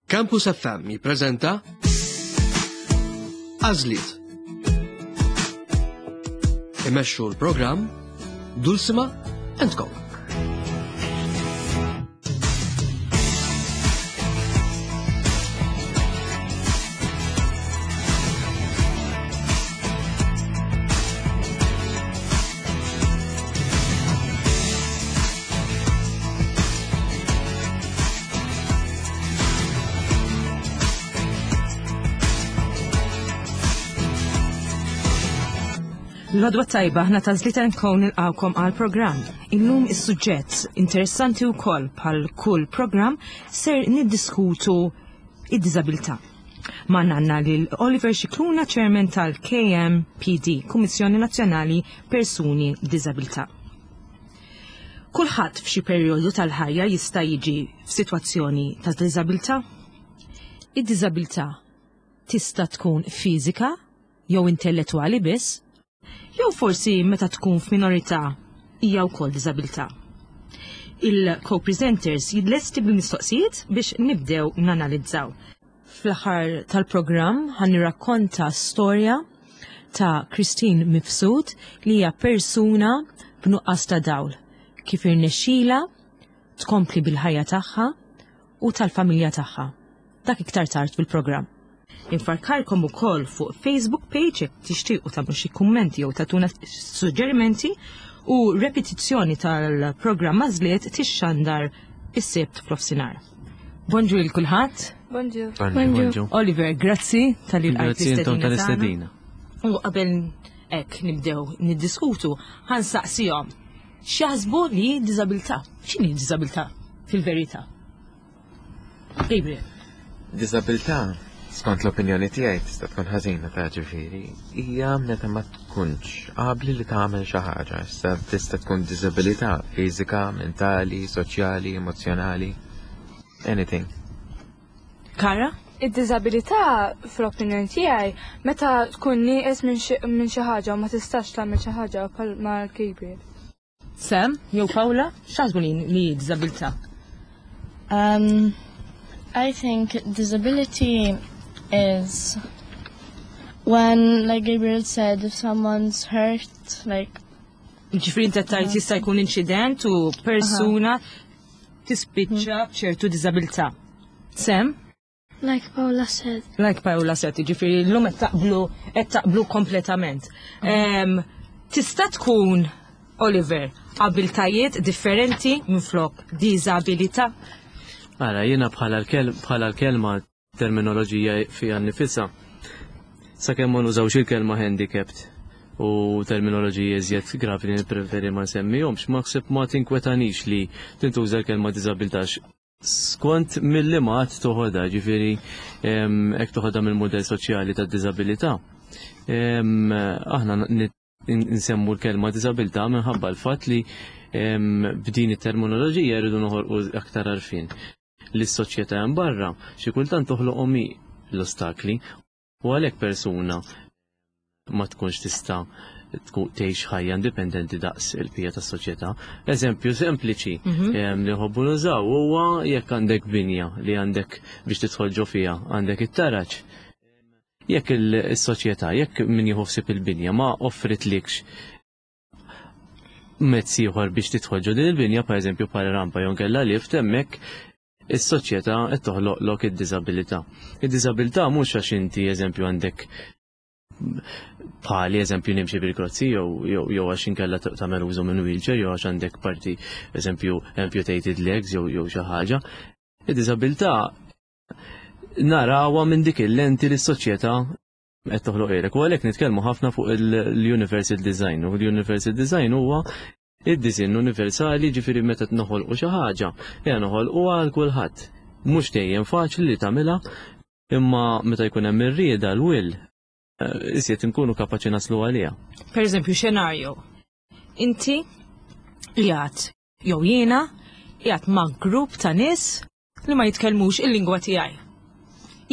Campus FM jippreżenta Għażliet. Imexxu l-programm Dulcima and Co. L-għodwa tajba ħna ta' Zlita Nkon nilqawkom għal programm. Illum is-suġġett interessanti wkoll bħal kull programm ser niddiskutu id-diżabilità. Magħna għandna lil Oliver Scicluna, Chairman tal-KMPD, Kummissjoni Nazzjonali Persuni b'Diżabilità. Kulħadd f'xi perjodu tal-ħajja jista' jiġi f'sitwazzjoni ta' diżabilità. Id-diżabilità tista' tkun fiżika jew intellettwali biss, jew forsi meta tkun f'minorità hija wkoll diżabilità. Il-co-presenters jidlesti bil-mistoqsijiet biex nibdew nanalizzaw. Fl-aħħar tal-programm ħa nirrakkonta storja ta' Christine Mifsud li hija persuna b'nuqqas ta' dawl, kif irnexxilha tkompli bil-ħajja tagħha u tal-familja tagħha. Dak iktar tard fil-programm. Infarkarkom ukoll fuq Facebook page jekk tixtiequ tagħmlu xi kummenti jew tagħtuna suġġerimenti u repetizzjoni tal-programm Għażliet tixxandar is-Sibt f'nofsinhar. Bonġu lil kulħadd. Bonġu. Bonġu. Oliver, grazzi tal-li Grazzi intom tal-istedina. U qabel hekk nibdew niddiskutu, ħansaqsihom x'jaħsbu li diżabilità. X'inhi diżabilità fil-verità? Gabriel. Diżabilità, skont l-opinjoni tiegħi tista' tkun ħażina ta' ġifieri, hija meta ma tkunx abbli li tagħmel xi ħaġa. Issa tista' tkun diżabilità fiżika, mentali, soċjali, emozzjonali, anything. Kara? Id-diżabilità fl-opinjoni tiegħi meta tkun nieqes minn xi ħaġa u ma tistax tagħmel xi ħaġa bħal ma Gabriel. Sam, jew Paula, x'taħsbu li li diżabilità? I think disability is when, like Gabriel said, if someone's hurt, like... Ġifieri inti tgħid jista' jkun inċident u persuna tispiċċa b'ċertu diżabilità. Sam? Like Paula said. Like Paola said, ġifieri llum qed taqblu qed taqblu kompletament. Tista' tkun Oliver abiltajiet differenti minflok diżabilità? Ara, jiena bħala l-kelma terminoloġija fiha nnifisha. Sakemm ma nużawx il-kelma handicapped u terminoloġija iżjed gravi li nippreferi ma nsemmihomx, ma ħseb ma tinkwetanix li tintuża l-kelma diżabilità. Skont mill-liema għad toħodha, ġifieri hekk toħodha mill-mudell soċjali tad-diżabilità. Aħna nsemmu l-kelma diżabilità minħabba l-fatt li b'din it-terminoloġija rridu noħolqu aktar għarfien. Li s-soċjetà hemm barra xi kultant toħloqhom hi l-ostakli u għalhekk persuna ma tkunx tista' tgħix ħajja indipendenti daqs il-pija tas-soċjetà. Eżempju sempliċi mhm. li nħobbu nużaw huwa jekk għandek binja li għandek biex tidħol ġo fiha, għandek it-taraġ. Jekk il-soċjetà, jekk min jieħu ħsieb il-binja ma offritlikx mezz ieħor biex tidħol ġo din il-binja, pereżempju bħala rampa jew nkella lift hemmhekk is-soċjetà qed toħloqlok id-diżabilità. Id-diżabilità mhux għax inti eżempju għandek bħali eżempju nimxi bil-krozzi jew għax inkella tagħmel użu minn wheelchair jew għax għandek parti eżempju amputated legs jew xi ħaġa. Id-diżabilità narawha minn dik il-lenti li s-soċjetà qed toħloq ilek. U għalhekk nitkellmu ħafna fuq l-universal design. U l-universal design huwa id-disinn universali ġifieri meta noħolqu xi ħaġa, hija noħolquha għal kulħadd. Mhux dejjem faċli li tagħmilha, imma meta jkun hemm ir-rieda l-will, eh, iżjed inkunu kapaċi naslu għaliha. Per eżempju, xenarju. Inti qiegħed jew jiena qiegħed ma' grupp ta' nies li ma jitkellmux il-lingwa tiegħi.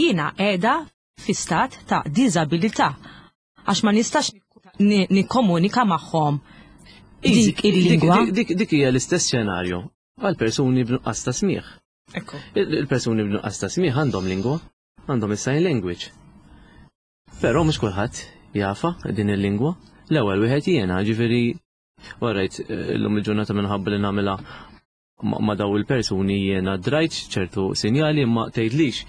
Jiena qiegħda fi stat ta' diżabilità għax ma nistax nikkomunika magħhom dik il-lingwa. Dik hija l-istess xenarju għal persuni b'nuqqas ta' smigħ. Ekku. Il-persuni b'nuqqas ta' smigħ għandhom lingwa, għandhom is-sign language. Però mhux kulħadd jafa din il-lingwa. L-ewwel wieħed jiena, ġifieri warajt eh, illum il-ġurnata minħabba li nagħmilha ma' daw il-persuni jiena drajt ċertu sinjali imma tgħidlix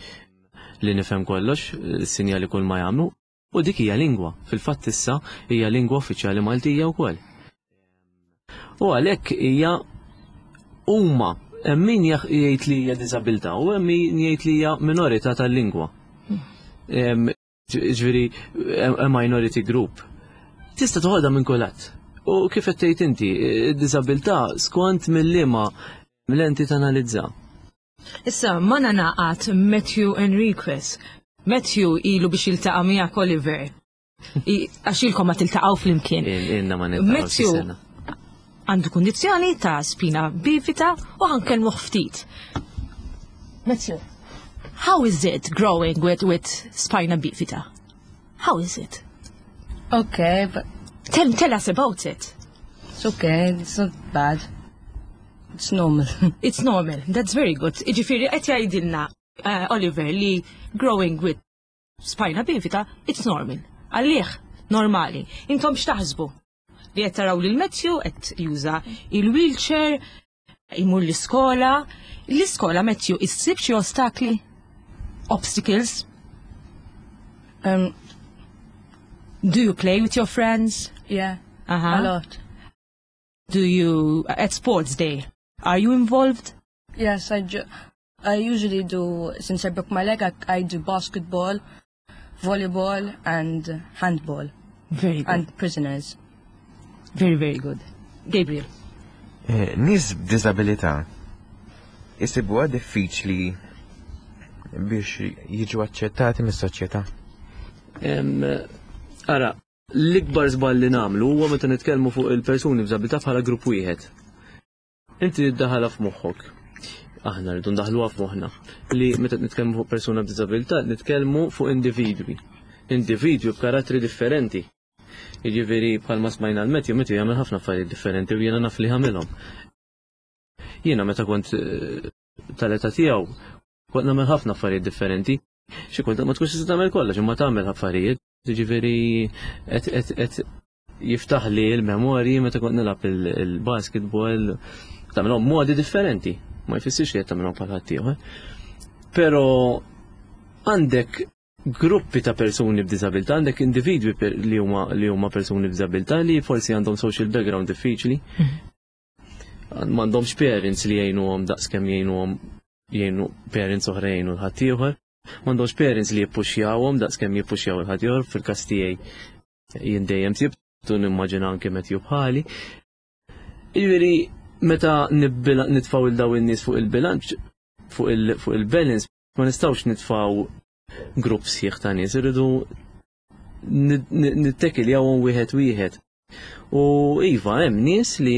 li nifhem kollox, sinjali kull ma jagħmlu. U dik hija lingwa, fil-fatt issa hija lingwa uffiċjali Maltija wkoll. U għalhekk hija huma hemm min jgħid li hija diżabilità u hemm min jgħid li hija minorità tal-lingwa. Ġifieri a minority group. Tista' toħodha minn kulħadd. U kif qed tgħid inti, id-diżabilità skont mill-liema lenti tanalizza. Issa, ma naqat Matthew Enriquez. Matthew ilu biex jiltaqa' miegħek Oliver. Għax ilkom ma tiltaqgħu flimkien. Inna ma niltaqgħu Matthew għandu kundizzjoni ta' spina bifida u ħankellmu ftit. Matthew, how is it growing with, with spina bifida? How is it? Okay, but Tell, tell us about it. it's okay. It's not bad. It's normal. It's normal. That's very good. Iġifiri, qed jgħidilna uh, Oliver li growing with spina bifida, it's normal. Għalih, normali. Intom x'taħsbu? Li qed taraw lil Matthew qed juża il-wheelchair, imur l-iskola. L-iskola Matthew issib xi ostakli? Obstacles? Do you play with your friends? yeah, Uh-huh. a lot. Do you at sports day? Are you involved? Yes, I, ju- I usually do, since I broke my leg, I, I do basketball, volleyball, and handball, Very good. and prisoners. Very, very good. Gabriel. Eh, Nies b'diżabilità isibuha diffiċli biex jiġu aċċettati mis-soċjetà. Em, Ara, l-ikbar żball li nagħmlu huwa meta nitkellmu fuq il-persuni b'diżabilità bħala grupp wieħed. Inti tiddaħħalha f'moħħok. Aħna rridu ndaħħluha f'moħħna li meta nitkellmu fuq persuna b'diżabilità nitkellmu fuq individwi. Individwi b'karattri differenti. Jiġifieri bħalma smajna l-Matthew, Matthew jagħmel ħafna affarijiet differenti u jiena naf li jagħmilhom. Jiena meta kont eh, tal-età tiegħu kont nagħmel ħafna affarijiet differenti. Xi kultant ma tkunx tista' tagħmel kollox, imma tagħmel affarijiet. Jiġifieri qed qed qed jiftaħ li l-memorji meta kont nilgħab il-basketball tagħmilhom modi differenti. Ma jfissirx li qed tagħmilhom bħal ħaddieħor. Però għandek gruppi ta' persuni b'diżabilità, għandek individwi per- li huma li huma persuni b'diżabilità li forsi għandhom social background diffiċli. M'għandhomx parents li jgħinuhom daqskemm jgħinuhom jgħinu parents oħra jgħinu l-ħaddieħor. M'għandhomx parents li jippuxjawhom daqskemm jippuxjaw il-ħaddieħor fil-każ tiegħi jien dejjem sibtu nimmaġina anke Matthew bħali. Jiġifieri meta nibbila- nitfgħu il daw in-nies fuq il-bilanċ fuq il- fuq il-balance ma nistgħux nitfgħu grupp sħiħ ta' nies, irridu nittekiljawhom wieħed wieħed. U iva, hemm nies li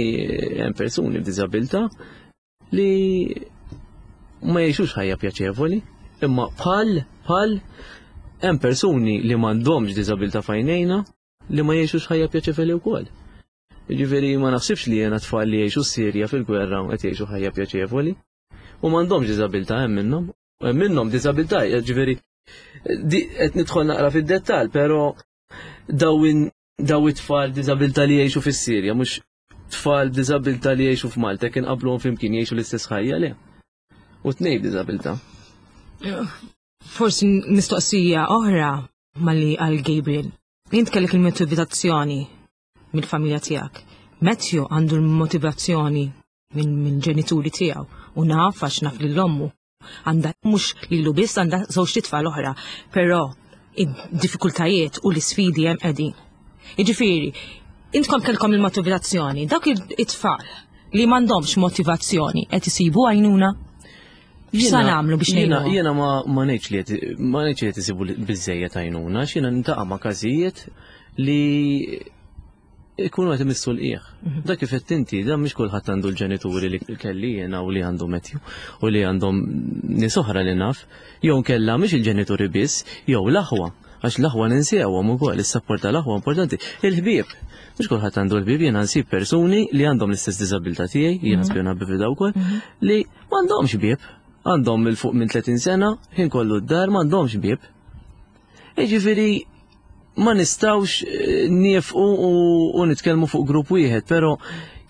hemm persuni b'diżabilità li ma jgħixux ħajja pjaċevoli, imma bħal bħal hemm persuni li m'għandhomx diżabilità f'għajnejna li ma jgħixux ħajja pjaċevoli wkoll. Jiġifieri ma naħsibx li jiena tfal li jgħixu s-Sirja fil-gwerra u qed jgħixu ħajja pjaċevoli u m'għandhomx diżabilità hemm minnhom. Hemm minnhom diżabilità, jiġifieri di qed nidħol naqra fid-dettall, però daw daw it-tfal b'diżabilità li jgħixu fis-Sirja mhux tfal b'diżabilità li jgħixu f'Malta kien qabluhom flimkien jgħixu l-istess ħajja le. U tnej b'diżabilità. Forsi mistoqsija oħra malli għal Gabriel. Int kellek il-motivazzjoni mill-familja tiegħek. Matthew għandu l-motivazzjoni minn min ġenituri tiegħu u naf għax naf lil ommu. Għandha mhux lilu biss għandha żewġ titfal oħra, però id-diffikultajiet u l-isfidi hemm qegħdin. Jiġifieri, intkom kellkom il-motivazzjoni, dawk it-tfal li m'għandhomx motivazzjoni qed isibu għajnuna? X'sa nagħmlu biex Jiena ngħinuhom? jiena ma ma ngħidx li qed ma ngħidx li qed isibu biżejjed għajnuna, għax jiena niltaqa' ma' każijiet li ikunu qed imissu l-qiegħ. Dak kif qed inti, dan mhix kulħadd għandu l-ġenituri li kelli jiena u li għandu Matthew u li għandhom nies oħra li naf, jew nkella mhix il-ġenituri biss, jew l-aħwa. Għax l-aħwa ninsewhom ukoll, is-sapport tal-aħwa importanti. Il-ħbieb, mhux kulħadd għandu l-ħbieb, jiena nsib persuni li għandhom l-istess diżabilità tiegħi, jiena spina bifida wkoll, li m'għandhomx ħbieb. Għandhom 'il fuq minn 30 sena, ħin kollu d-dar m'għandhomx bieb. Jiġifieri ma nistgħux eh, niefqu u nitkellmu fuq grupp wieħed, però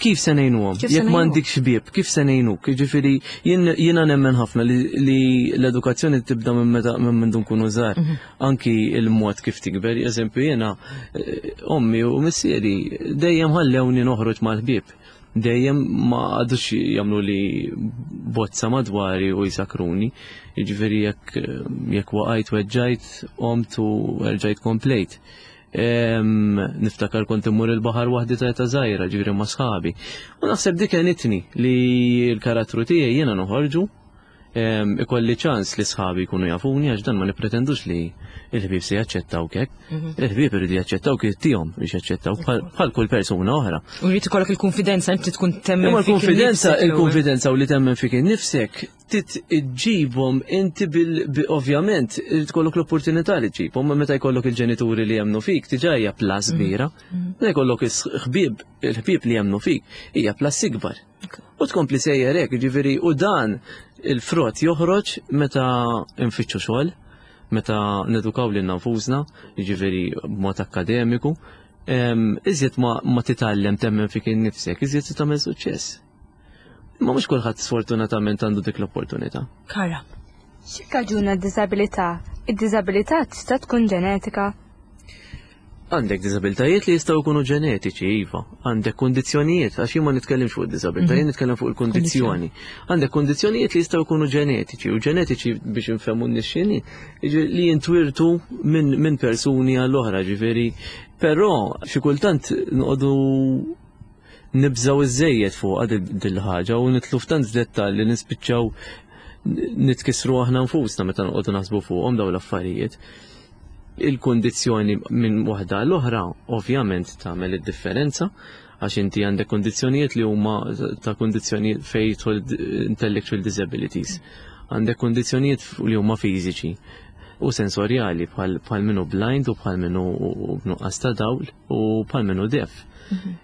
kif se ngħinuhom? Jekk m'għandikx bieb, kif se ngħinuk? Jiġifieri jiena nemmen ħafna li l-edukazzjoni tibda minn meta minn mindu nkunu żgħar. Mhm. Anki il-mod kif tikber, eżempju jiena eh, ommi u missieri dejjem ħallewni noħroġ mal-ħbieb. Dejjem ma għadux jagħmlu li bozza madwari u jisakruni. Jiġifieri jekk jekk waqajt weġġajt, qomt u erġajt komplejt. Niftakar kont immur il-baħar waħdi ta' ta' żgħira, ġifieri ma' sħabi. U naħseb dik għenitni li l-karattru tiegħi jiena noħorġu ikolli ċans li sħabi jkunu jafuni għax dan ma nippretendux li il-ħbieb se jaċċettaw hekk. Mhm. Il-ħbieb iridu jaċċettaw kif tihom biex jaċċettaw bħal kull persuna oħra. U jrid ikollok il-konfidenza inti tkun temmen. Imma l-konfidenza, il-konfidenza u li temmen fik innifsek tit iġġibhom inti bil ovvjament irid ikollok l-opportunità li ġġibhom meta jkollok il-ġenituri li jemmnu fik diġà hija plus mhm. kbira. Mhm. Meta jkollok il-ħbieb il-ħbieb li jemmnu fik hija plus ikbar. U tkompli sejjer hekk, jiġifieri u dan il-frott joħroġ meta nfittxu xogħol, meta nedukaw lilna nfusna, jiġifieri b'mod akkademiku, iżjed ma, ma titgħallem temmen fik innifsek, iżjed se tagħmel suċċess. Imma mhux kulħadd sfortunatament għandu dik l-opportunità. Kara. X'ikkaġuna d-diżabilità? Id-diżabilità tista' tkun ġenetika? Għandek diżabiltajiet li jistgħu jkunu ġenetiċi, iva. Għandek kundizzjonijiet, għax jien ma nitkellimx fuq id-diżabilità, jien mhm. nitkellem fuq il-kundizzjoni. Għandek kundizzjonijiet li jistgħu jkunu ġenetiċi, u ġenetiċi biex infehmu n-nixxini, li jintwirtu minn min persuni għall-oħra, ġifieri. Però xi kultant noqogħdu nibżgħu iżejjed fuqha dil-ħaġa u nitlu f'tant dettalji li nispiċċaw nitkissru aħna nfusna meta noqogħdu naħsbu fuqhom dawn l-affarijiet. Il-kundizzjoni minn waħda l-oħra ovvjament tagħmel id-differenza għax inti għandek kundizzjonijiet li huma ta' kundizzjonijiet fejn jidħol intellectual disabilities. Għandek kundizzjonijiet li huma fiżiċi u sensorjali bħal minnu blind u bħal minnu b'nuqqas ta' dawl u bħal minnu deaf.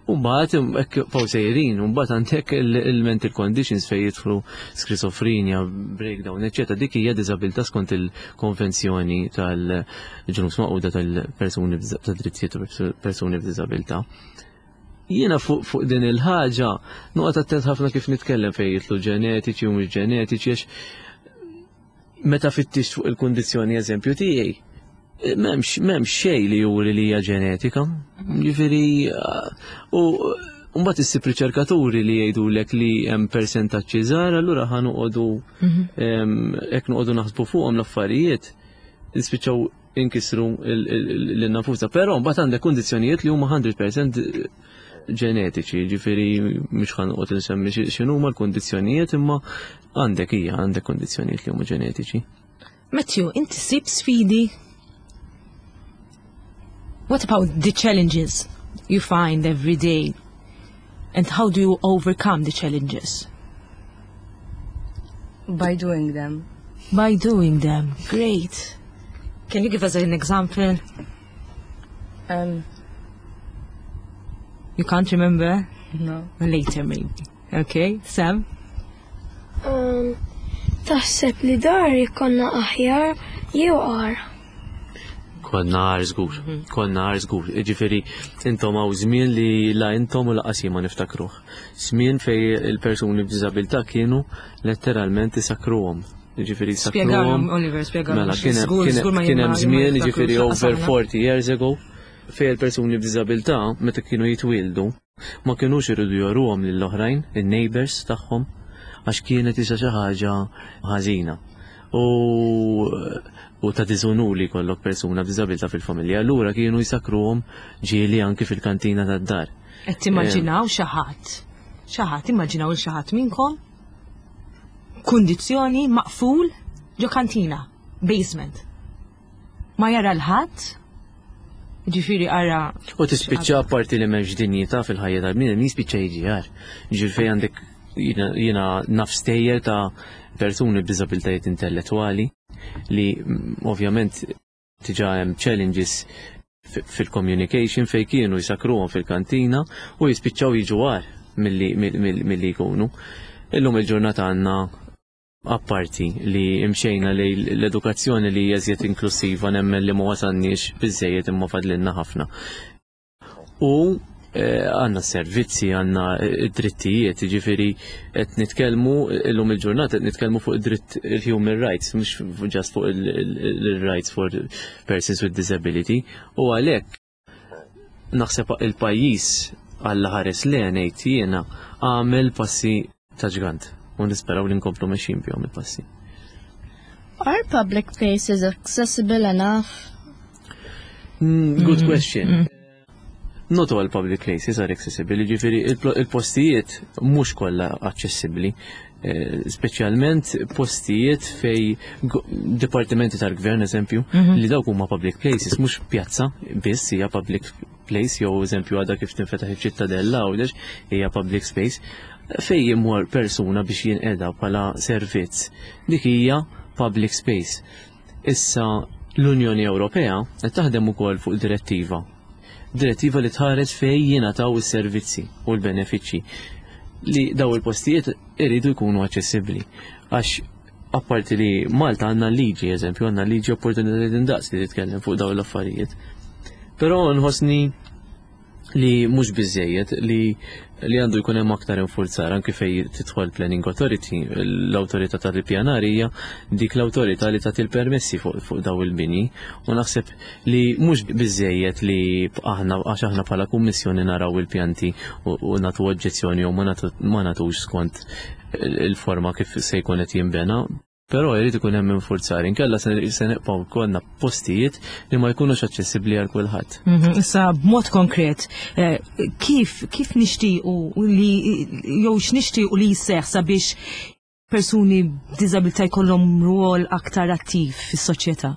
U mbagħad hekk faw sejrin, u mbagħad għandek il-mental conditions fejn jidħlu skizofrenja, breakdown, eċċetera. Dik hija diżabilità skont il-konvenzjoni tal-ġnus maquda tal-persuni tad-drittijiet persuni b'diżabilità. Jiena fuq fu din il-ħaġa noqgħod attent ħafna kif nitkellem fejn jidħlu ġenetiċi u mhux ġenetiċi għax meta fittixt fuq il-kundizzjoni eżempju tiegħi, m'hemmx m'hemmx xejn li juri li hija ġenetika. Ġifieri u mbagħad issib riċerkaturi li jgħidulek li hemm persentaġġi żgħar, allura ħa noqogħdu mhm. hekk noqogħdu naħsbu fuqhom l-affarijiet, nispiċċaw inkisru lil nafusna. Però mbagħad għandek kundizzjonijiet li huma 100% ġenetiċi, ġifieri mhux ħa noqgħod insemmi x'inhuma l-kundizzjonijiet imma għandek hija għandek kundizzjonijiet li huma ġenetiċi. Matthew, inti sib sfidi? What about the challenges you find every day? And how do you overcome the challenges? By doing them. By doing them. Great. Can you give us an example? You can't remember? No. Later maybe. Okay, Sam? Um, taħseb li dar konna aħjar jew agħar? Konna agħar żgur, mhm. konna agħar żgur. Ġifieri intom hawn żmien li la intom u laqas ma niftakruh. Żmien fej il-persuni b'diżabilità kienu letteralment isakruhom. Ġifieri sakruhom. Oliver, spjegalhom. Mela kien hemm żmien, ġifieri over 40 years ago, fej il-persuni b'diżabilità meta kienu jitwieldu Ma kinux iridu joruhom lill-oħrajn, in-neighbours tagħhom, għax kienet isa xi ħaġa ħażina. U u ta' diżunur li jkollok persuna b'diżabilità fil-familja. Allura kienu jsakkruhom ġieli anki fil-kantina tad-dar. Qed timmaġinaw xi ħadd, xi ħadd, immaġinaw il xi ħadd minnkom kundizzjoni maqful ġo kantina, basement. Ma jara l-ħadd, ġifieri ara. U tispiċċa parti li m'hemmx dinjità fil-ħajja tal-bniedem jispiċċa jiġi għar. Ġifieri fejn għandek jiena naf stejjer ta' persuni b'diżabilitajiet intellettwali li mm, ovvjament diġà hemm challenges fil-communication fejn kienu jsakruhom fil-kantina u jispiċċaw jiġu għar milli jkunu. Illum il-ġurnata għandna. Apparti li imxejna li l-edukazzjoni li hija iżjed inklusiva, nemmen li ma wasalniex biżejjed imma fadlilna ħafna. U għandna servizzi, għandna id-drittijiet, ġifieri qed nitkellmu illum il-ġurnata qed nitkellmu fuq id-dritt, il-human rights, mhux just fuq il-rights for persons with disability, u għalhekk naħseb il-pajjiż, għalla ħares le ngħid jiena, għamel passi ta' ġgant u nisperaw li nkomplu mexjin bihom il-passi. Are public places accessible enough? Good question. Not all public places are accessible, ġifieri il-postijiet mhux kollha aċċessibbli, speċjalment postijiet fej dipartimenti tal-gvern, eżempju, li dawk huma public places, mhux pjazza biss hija public place, jew eżempju għadha kif tinfetaħ iċ-Ċittadella Għawdex hija public space, fej jimur persuna biex jinqeda bħala servizz. Dik hija public space. Issa l-Unjoni Ewropea qed taħdem ukoll fuq direttiva. Direttiva li tħares fej jingħataw is-servizzi u l-benefiċċji li daw il-postijiet iridu jkunu aċċessibbli. Għax apparti li Malta għandna liġi, eżempju, għandna liġi opportunitajiet indaqs li titkellem fuq daw l-affarijiet. Però nħossni li mhux biżejjed, li għandu jkun hemm aktar infurzar anke fej tidħol Planning Authority, l-awtorità tal-ippjanar hija dik l-awtorità li tagħti l-permessi fuq daw il-bini, u naħseb li mhux biżejjed li aħna, għax aħna bħala kummissjoni naraw il-pjanti u nagħtu oġġezzjoni jew ma nagħtux skont il-forma kif se jkun qed jinbena. Però jrid ikun hemm infurzar, inkella se nibqgħu jkollna postijiet li ma jkunux aċċessibbli għal kulħadd. Issa b'mod konkret, kif nixtiequ li jew x'nixtiequ li jseħħ sabiex persuni b'diżabilità jkollhom rwol aktar attiv fis-soċjetà?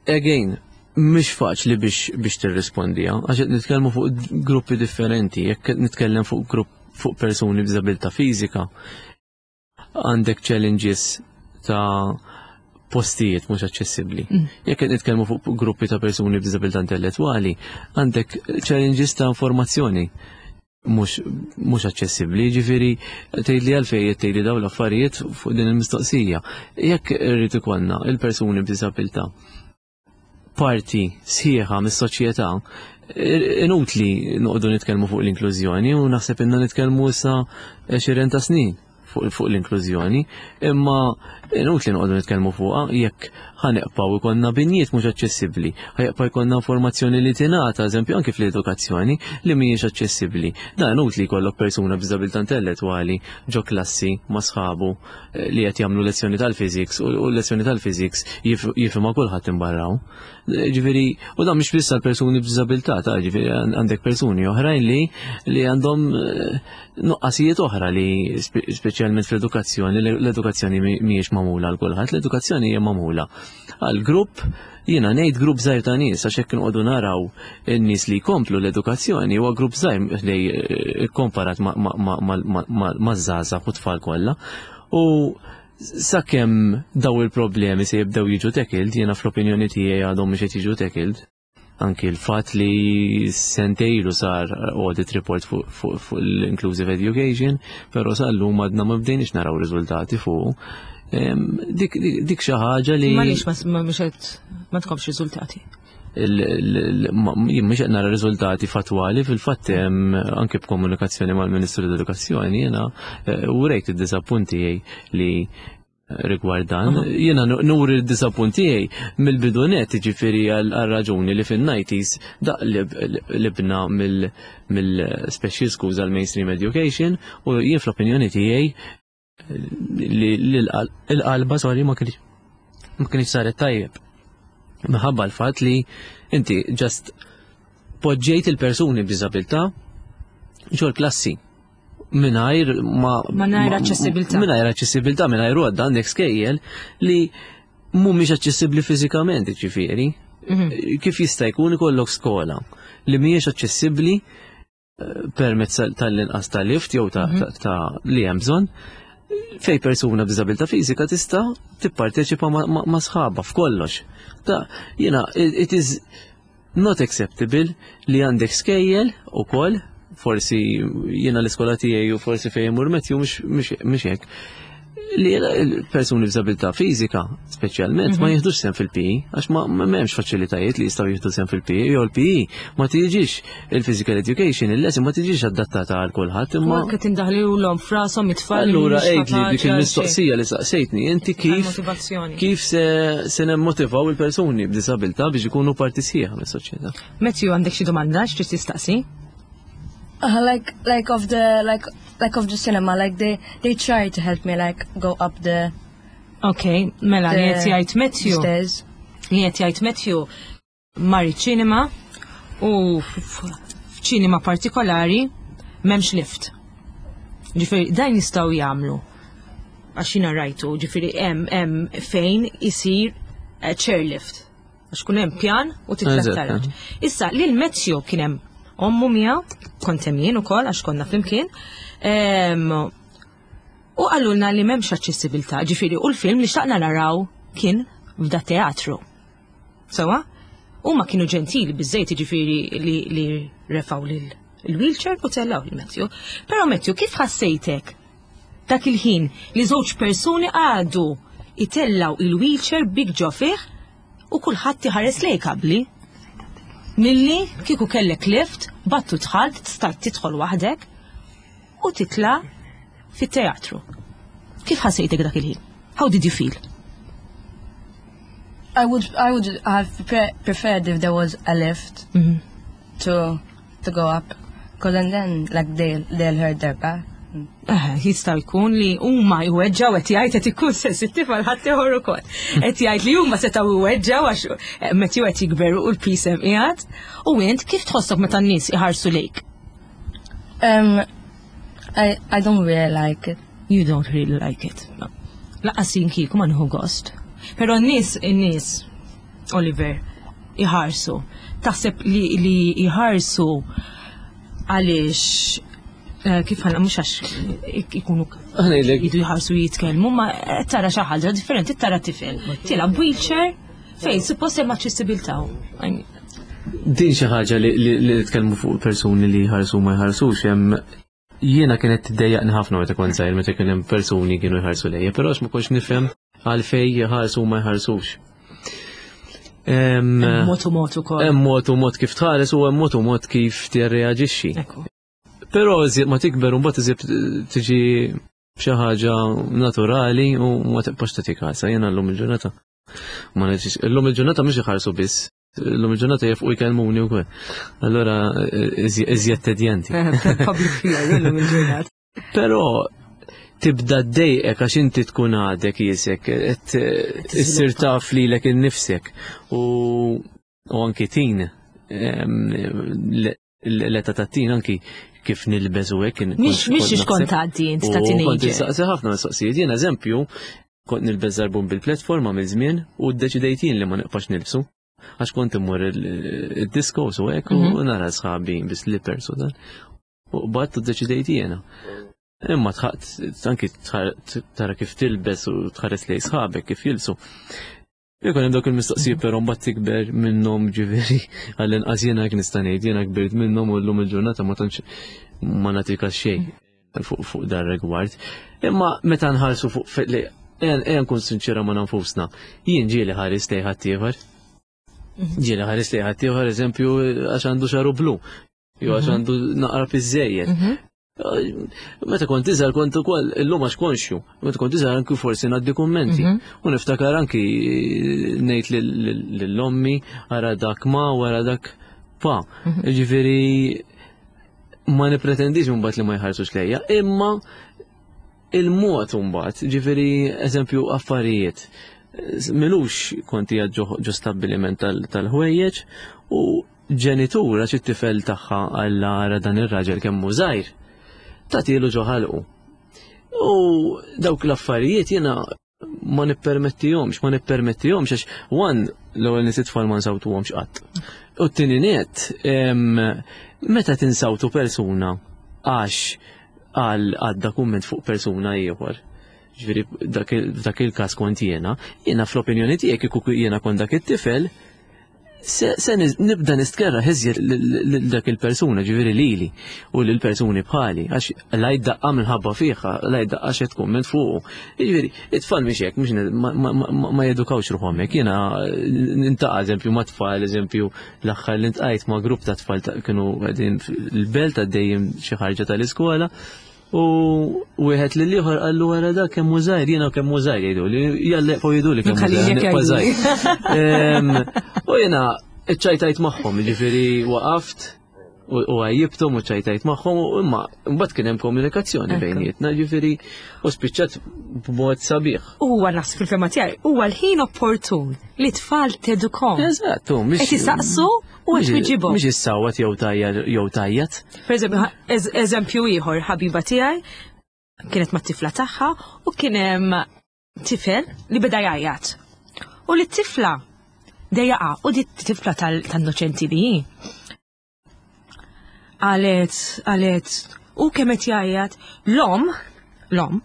Again, mhix faċli biex tirrispondiha, għax qed nitkellmu fuq gruppi differenti, jekk qed nitkellem fuq grupp fuq persuni b'diżabilità fiżika, għandek challenges ta' postijiet mhux aċċessibbli. Jekk qed nitkellmu fuq gruppi ta' persuni b'diżabilità intellettwali, għandek challenges ta' informazzjoni mhux aċċessibbli, ġifieri tgħidli għalfejn qed tgħidli dawn l-affarijiet fuq din il-mistoqsija. Jekk irrid ikollna il-persuni b'diżabilità parti sħiħa mis-soċjetà, inutli noqogħdu nitkellmu fuq l-inklużjoni, u naħseb inna nitkellmu issa 20 ta' snin fuq l-inklużjoni, imma inutli noqogħdu nitkellmu fuqha jekk ħa nibqgħu jkollna binjiet mhux aċċessibbli, ħa jibqa' jkollna informazzjoni li tingħata, eżempju anke fl-edukazzjoni, li mhijiex aċċessibbli. Dan inutli jkollok persuna b'diżabilità intellettwali ġo klassi ma' sħabu li qed jagħmlu lezzjoni tal-physics u lezzjoni tal-physics jifhimha kulħadd imbarraw. Ġifieri, u dan mhux biss għal persuni b'diżabilità, ta' ġifieri għandek persuni oħrajn li għandhom nuqqasijiet oħra li speċjalment fl-edukazzjoni, l-edukazzjoni mhijiex magħmula għal kulħadd, l-edukazzjoni hija magħmula għal grupp, jiena ngħid grupp żgħir ta' nies, għax hekk noqogħdu naraw in-nies li jkomplu l-edukazzjoni huwa grupp żgħir li komparat ma' żgħażagħ u tfal kollha. U sakemm daw il-problemi se jibdew jiġu tackled, jiena fl-opinjoni tiegħi għadhom mhux qed jiġu tackled. Anki l-fatt li sentejlu sar audit report fuq l-inclusive education, però sal-lum għadna ma bdejniex naraw riżultati fuq. Dik xi ħaġa li Ma lix ma mhux qed ma tkomx riżultati. Jien mhux qed nara riżultati fatwali, fil-fatt anke b'komunikazzjoni mal-Ministru tal-Edukazzjoni jiena urejt id-disappunt tiegħi li rigward dan. Jiena nuri d-disappunt tiegħi mill-bidu net, ġifieri għal raġuni li fin-90s daq libna mill-special schools għal mainstream education, u jien fl-opinjoni tiegħi li l-qalba, sorry, ma kienx saret tajjeb. Minħabba l-fatt li inti just poġġejt il-persuni b'diżabilità ġol klassi mingħajr ma Mingħajr aċċessibilità. Mingħajr aċċessibilità, mingħajr għodda, għandek skejjel li mhumiex aċċessibbli fiżikament, ġifieri. Kif jista' jkun ikollok skola li mhijiex aċċessibbli permezz tal-inqas ta' lift jew ta' li hemm bżonn, fej persuna b'diżabilità fiżika tista' tipparteċipa ma' sħabha f'kollox. Ta' jiena, it is not acceptable li għandek skejjel ukoll Forsi jiena l-iskola tiegħi u forsi fejn imur Matthew mhux hekk. Li l-persuni b'diżabilità fiżika, speċjalment, ma jiħdux sehem fil-PE, għax ma m'hemmx faċilitajiet li jistgħu jieħdu sehem fil-PE, jew il-PE ma tiġix il-physical education, il-lesson ma tiġix adattata għal kulħadd, imma. Anke tindaħlilhom f'rashom it-tfal. Allura għidli dik il-mistoqsija li saqsejtni, inti kif kif se se nemmotivaw il-persuni b'diżabilità biex ikunu parti sħiħa mis-soċjetà. Matthew għandek xi domanda x'trid tistaqsi? Like like of the like like of the cinema like they they try to help me like go up the Ok, mela li qed jgħid Matthew. Stairs. Li qed jgħid Matthew mar iċ-ċinema u f'ċinema partikolari m'hemmx lift. Ġifieri dan jistgħu jagħmlu għax jiena rajtu, ġifieri hemm hemm fejn isir eh, chairlift. Għax kun hemm pjan u titla' taraġ. Issa lil Matthew kien hemm ommu miegħu, kont hemm jien ukoll għax konna flimkien. U qalulna li m'hemmx aċċessibilità, ġifieri u l-film li xtaqna naraw kien f'da teatru. Sewa? Huma kienu ġentili biżejt ġifieri li, li refaw lil il-wheelchair u tellaw lil Matthew. Però Matthew, kif ħassejtek dak il-ħin li żewġ persuni għadu itellaw il-wheelchair bik ġo fih u kulħadd iħares lejk qabli? Milli kieku kellek lift, battu dħalt, stajt tidħol waħdek u titla' fit-teatru. Kif ħassejtek dak il-ħin? How did you feel? I would have preferred if there was a lift mm -hmm. to to go up, because and then like they they'll hurt their back. Eh, jista' jkun li huma jweġġaw qed jgħid qed ikun sensittiv għal ħadd ieħor ukoll. Qed jgħid li huma setgħu jweġġaw għax eh, meta qed jikberu u l-pisem qiegħed. U int kif tħossok meta n-nies iħarsu lejk? Um, I, I don't really like it. You don't really like it. No. Laqqas jien kieku ma nieħu gost. Però n-nies, in-nies, Oliver, iħarsu. Taħseb li, li iħarsu għaliex eh, kif ħana mhux għax ikunu jidu jħarsu jitkellmu, ma tara xi ħaġa differenti, tara tifel. Tilab wheelchair fejn suppost hemm aċċessibilità. Din xi ħaġa li nitkellmu fuq persuni li jħarsu ma jħarsux hemm jiena kienet tiddejjaqni ħafna meta kont żgħir meta kien hemm persuni kienu jħarsu lejja, però għax ma kontx nifhem għalfejn jħarsu ma jħarsux. Mod u mod ukoll. Hemm mod u mod kif tħares u hemm mod u mod kif tirreaġixxi. Però iżjed ma tikber u mbagħad iżjed tiġi xi ħaġa naturali u ma tibqax tagħti kasa. Jiena llum il-ġurnata. Ma nafx, illum il-ġurnata mhux iħarsu biss, illum il-ġurnata jefqu jkellmuni wkoll. Allura iżjed tedjanti. Public figure illum il-ġurnata. Però tibda ddejqek għax inti tkun għadek jisek, qed issir taf lilek innifsek u anki tin l-età ta' tin anki kif nilbes u hekk. Mhix mhix kont tgħaddi int ta' teenager. Kont insaqsi ħafna mistoqsijiet. Jien eżempju, kont nilbes żarbun bil-platforma minn żmien u ddeċidejt jien li ma nibqax nilbsu. Għax kont immur id-disco u hekk u mhm. nara sħabi bi slippers u dan. U qbadt u ddeċidejt jiena. Imma tħaqt anki tara kif tilbes u tħares lej sħabek kif jilsu. Ikun hemm dawk il-mistoqsijiet però mbagħad tikber minnhom ġifieri għall-inqas jiena hekk nista' ngħid jiena kbirt minnhom u llum il-ġurnata ma tantx ma nagħtika xejn fuq fuq dar rigward. Imma meta nħarsu fuq li ejja nkun sinċira ma' nfusna, jien ġieli ħares lejn ħaddieħor. Mhm. Ġieli ħares lejn ħaddieħor eżempju għax għandu xaru blu, jew għax mhm. għandu naqra piżejjed. Mhm. Meta kont iżgħar kont ukoll illum għax konxju, meta kont iżgħar anki forsi ngħaddi kummenti. Mhm. U niftakar anki ngħid lill-ommi ara dak ma u ara dak pa. Mhm. Ġifieri ma nipretendix imbagħad li ma jħarsux lejja, imma il-mod imbagħad, ġifieri eżempju affarijiet. Milux konti ġo stabbiliment tal-ħwejjeġ u Ġenitur għax it-tifel tagħha alla ara dan ir-raġel kemm hu żgħir, tagħtilu ġo ħalqu. U dawk l-affarijiet jiena ma nippermettihomx, ma nippermettihomx għax one l-ewwel nies it-tfal ma nsawtuhomx qatt. U t-tieni net, meta tinsawtu persuna għax għal għadda kumment fuq persuna ieħor. Ġifieri dak il-każ kont jiena, jiena fl-opinjoni tiegħek kieku jiena kont dak it-tifel, Se nibda nistkerra iżjed lil dak il-persuna, ġifieri lili u lil persuni bħali, għax la jdaqqa minħabba fiha, la jdaqqa xi tkun minn fuqu. Ġifieri, it-tfal mhix hekk, mhux ma jedukawx ruħhom hekk. Jiena nintaqa' eżempju ma' tfal, eżempju l-aħħar li ntqajt ma' grupp ta' tfal kienu qegħdin l-belt għaddejjin xi ħarġa tal-iskola. U wieħed lil ieħor qallu wara dak kemm hu żgħir, jiena kemm hu żgħir jgħidu li jalla fuq jgħidu li kemm hu żgħir. U jiena iċċajtajt magħhom, jiġifieri waqaft u għajjibthom u ċajtajt magħhom u imma mbagħad kien hemm komunikazzjoni bejnietna, ġifieri u spiċċat b'mod sabiħ. Huwa nas fil-fema tiegħi, huwa l-ħin opportun li tfal tedukom. Eżatt, mhix. Qed isaqsu u qed twiġibhom. Mhix issawwat jew tajjar jew tajjat. Per eżempju ieħor ħabiba tiegħi kienet mat-tifla tagħha u kien hemm tifel li beda jgħajjat. U li t-tifla dejjaqa u di tifla tal-noċenti li hi. Qalet, qalet, u kemm qed jgħajjat, l-om, l-om,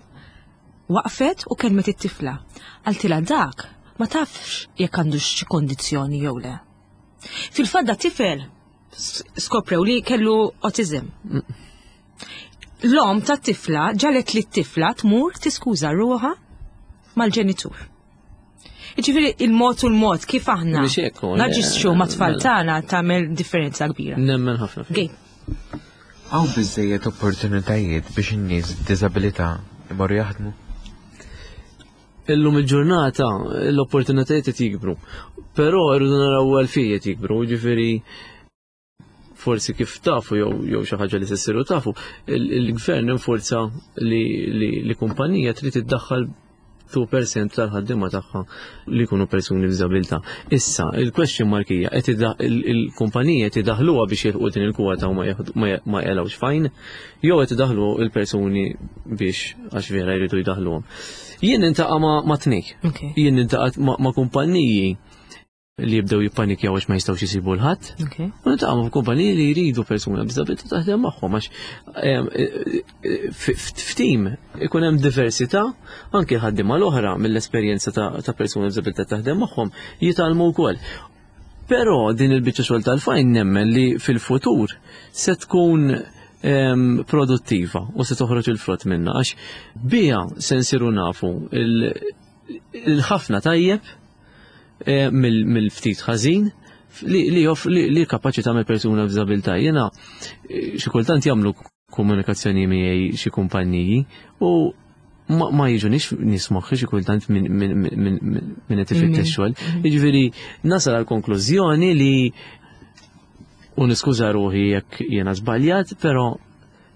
waqfet u kelmet it-tifla. Qaltilha dak ma tafx jekk għandux xi kondizzjoni jew le. Fil-fatt da tifel skoprew li kellu autism. L-om ta' tifla ġalet li t-tifla tmur tiskuża ruħha mal-ġenitur. Ġifieri il-mod u l-mod kif aħna naġixxu ma' tfal tagħna tagħmel differenza kbira. Nemmen ħafna. Gej. Hawn biżejjed opportunitajiet biex in-nies b'diżabilità imorru jaħdmu? Illum il-ġurnata l-opportunitajiet qed jikbru. Però rridu naraw għalfejn qed jikbru, ġifieri forsi kif tafu jew jew xi ħaġa li se ssiru tafu, il-gvern inforza li, li, li kumpanija trid iddaħħal 2% tal-ħaddiema tagħha li jkunu persuni b'diżabilità. Issa, il-question mark hija qed il-kumpanija qed idaħluha biex jilħqu din il-kwota u ma jelgħux fajn, jew qed idaħlu il-persuni biex għax vera jridu jdaħluhom. Jien nintaqa' ma' tnej. Jien nintaqa' ma' kumpaniji li jibdew jippanikjaw għax ma jistgħux isibu l-ħadd. U niltaqgħu ma' kumpaniji li jridu persuna b'diżabilità taħdem magħhom għax f'tim ikun hemm diversità anke l-ħaddiema l-oħra mill-esperjenza ta' persuna b'diżabilità taħdem magħhom jitgħallmu wkoll. Però din il-biċċa xogħol tal-fajn nemmen li fil-futur se tkun produttiva u se toħroġ il-frott minna għax biha se nsiru nafu il-ħafna tajjeb eh, mill-ftit ħażin li li kapaċi tagħmel persuna b'diżabilità. Jiena eh, xi kultant jagħmlu komunikazzjoni miegħi xi kumpanniji u ma jiġunix nies moħħi xi kultant minn qed ifittex xogħol. Mm-hmm. Jiġifieri nasal għal konklużjoni li u niskuża ruħi jekk jiena żbaljat, però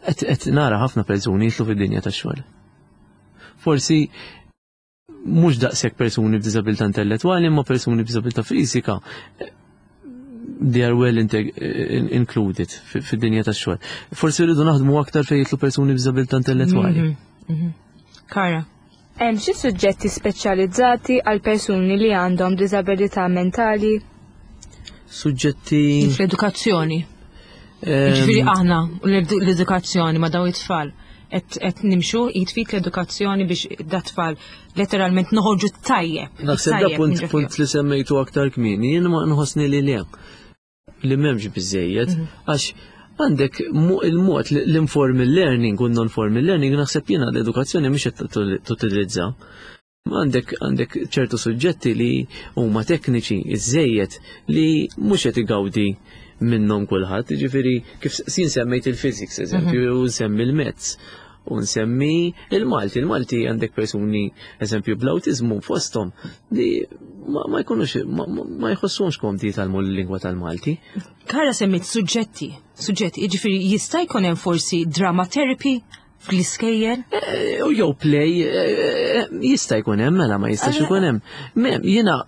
qed nara ħafna persuni jitlu fid-dinja tax-xogħol. Forsi mhux daqshekk persuni b'diżabilità intellettwali imma persuni b'diżabilità fiżika they are well included fid-dinja tax-xogħol. Forsi rridu naħdmu aktar fejn jitlu persuni b'diżabilità intellettwali. Mhm, mhm. Kara. Hemm xi suġġetti speċjalizzati għal persuni li għandhom diżabilità mentali? Suġġetti. Fl-edukazzjoni. Ġifieri aħna l-edukazzjoni ma' daw it-tfal qed nimxu jitfit l-edukazzjoni biex da tfal letteralment noħorġu tajjeb. Naħseb da punt punt li semmejtu aktar kmieni, jien ma nħossni li le li m'hemmx biżejjed mhm. għax għandek il-mod l-informal learning u non-formal learning naħseb jiena l-edukazzjoni mhix qed tutilizza. Għandek għandek ċertu suġġetti li huma tekniċi iżejjed li mhux qed igawdi minnhom kulħadd, jiġifieri kif sin semmejt il-physics eżempju, mhm. u nsemmi l-mezz u nsemmi il-Malti. Il-Malti għandek persuni, eżempju, bl-autizmu fosthom li ma jkunux, ma jħossux komdi jitgħallmu l-lingwa tal-Malti. Kara semmit suġġetti, suġġetti, jiġifieri jista' jkun hemm forsi drama therapy fl-iskejjel? Eh, u jew play eh, jista' jkun hemm mela ma jistax ikun hemm. Jiena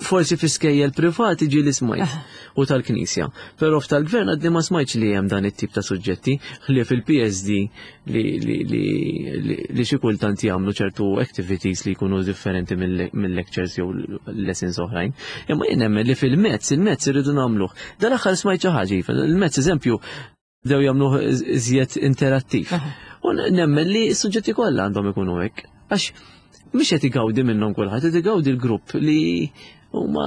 forsi fi skejjel privati ġi li smajt u tal-Knisja. Però f'tal-gvern għadni ma smajtx li hemm dan it-tip ta' suġġetti ħlief il-PSD li, li, li, li xi kultant jagħmlu ċertu activities li jkunu differenti mill-lectures jew lessons oħrajn. Imma jien nemmen li fil-mezz, il-mezz irridu nagħmluh. Dan aħħar smajt xi ħaġa, iva, il-mezz eżempju bdew jagħmluh iżjed interattiv. U nemmen li s-suġġetti kollha għandhom ikunu hekk. Għax Mhux qed igawdi minnhom kulħadd, qed igawdi l-grupp li huma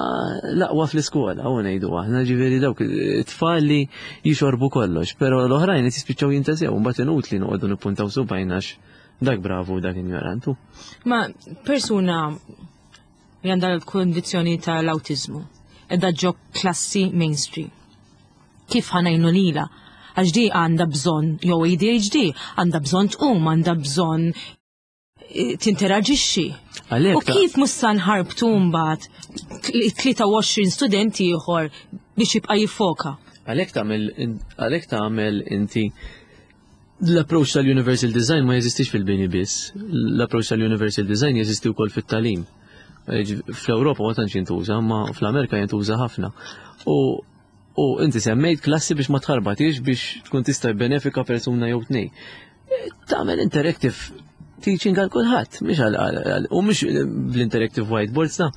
l-aqwa fl-iskola, u ngħidu aħna ġifieri dawk it-tfal li jixorbu kollox, però l-oħrajn qed jispiċċaw jintesew, mbagħad inutli noqogħdu nippuntaw subgħajna għax dak bravu dak injorantu. Ma persuna li għandha l-kondizzjoni tal-awtiżmu, edha ġo klassi mainstream. Kif ħanajnu lila? Għax di għandha bżonn jew ADHD, għandha bżonn tqum, għandha bżonn eh, tinteraġixxi. U kif mhux sa nħarbtu mbagħad 23 student ieħor biex jibqa' jiffoka? Għalhekk tagħmel għalhekk tagħmel inti l-approach tal-universal design ma jeżistix fil-bini biss. L-approach tal-universal design jeżisti wkoll fit-tagħlim. Eh, fl-Ewropa ma tantx jintuża, ma fl-Amerika jintuża ħafna. U U inti semmejt klassi biex ma tħarbatix biex tkun tista' benefika persuna jew tnej. Tagħmel interactive teaching għal kulħadd, mhux għal u mhux bl-interactive whiteboards ta'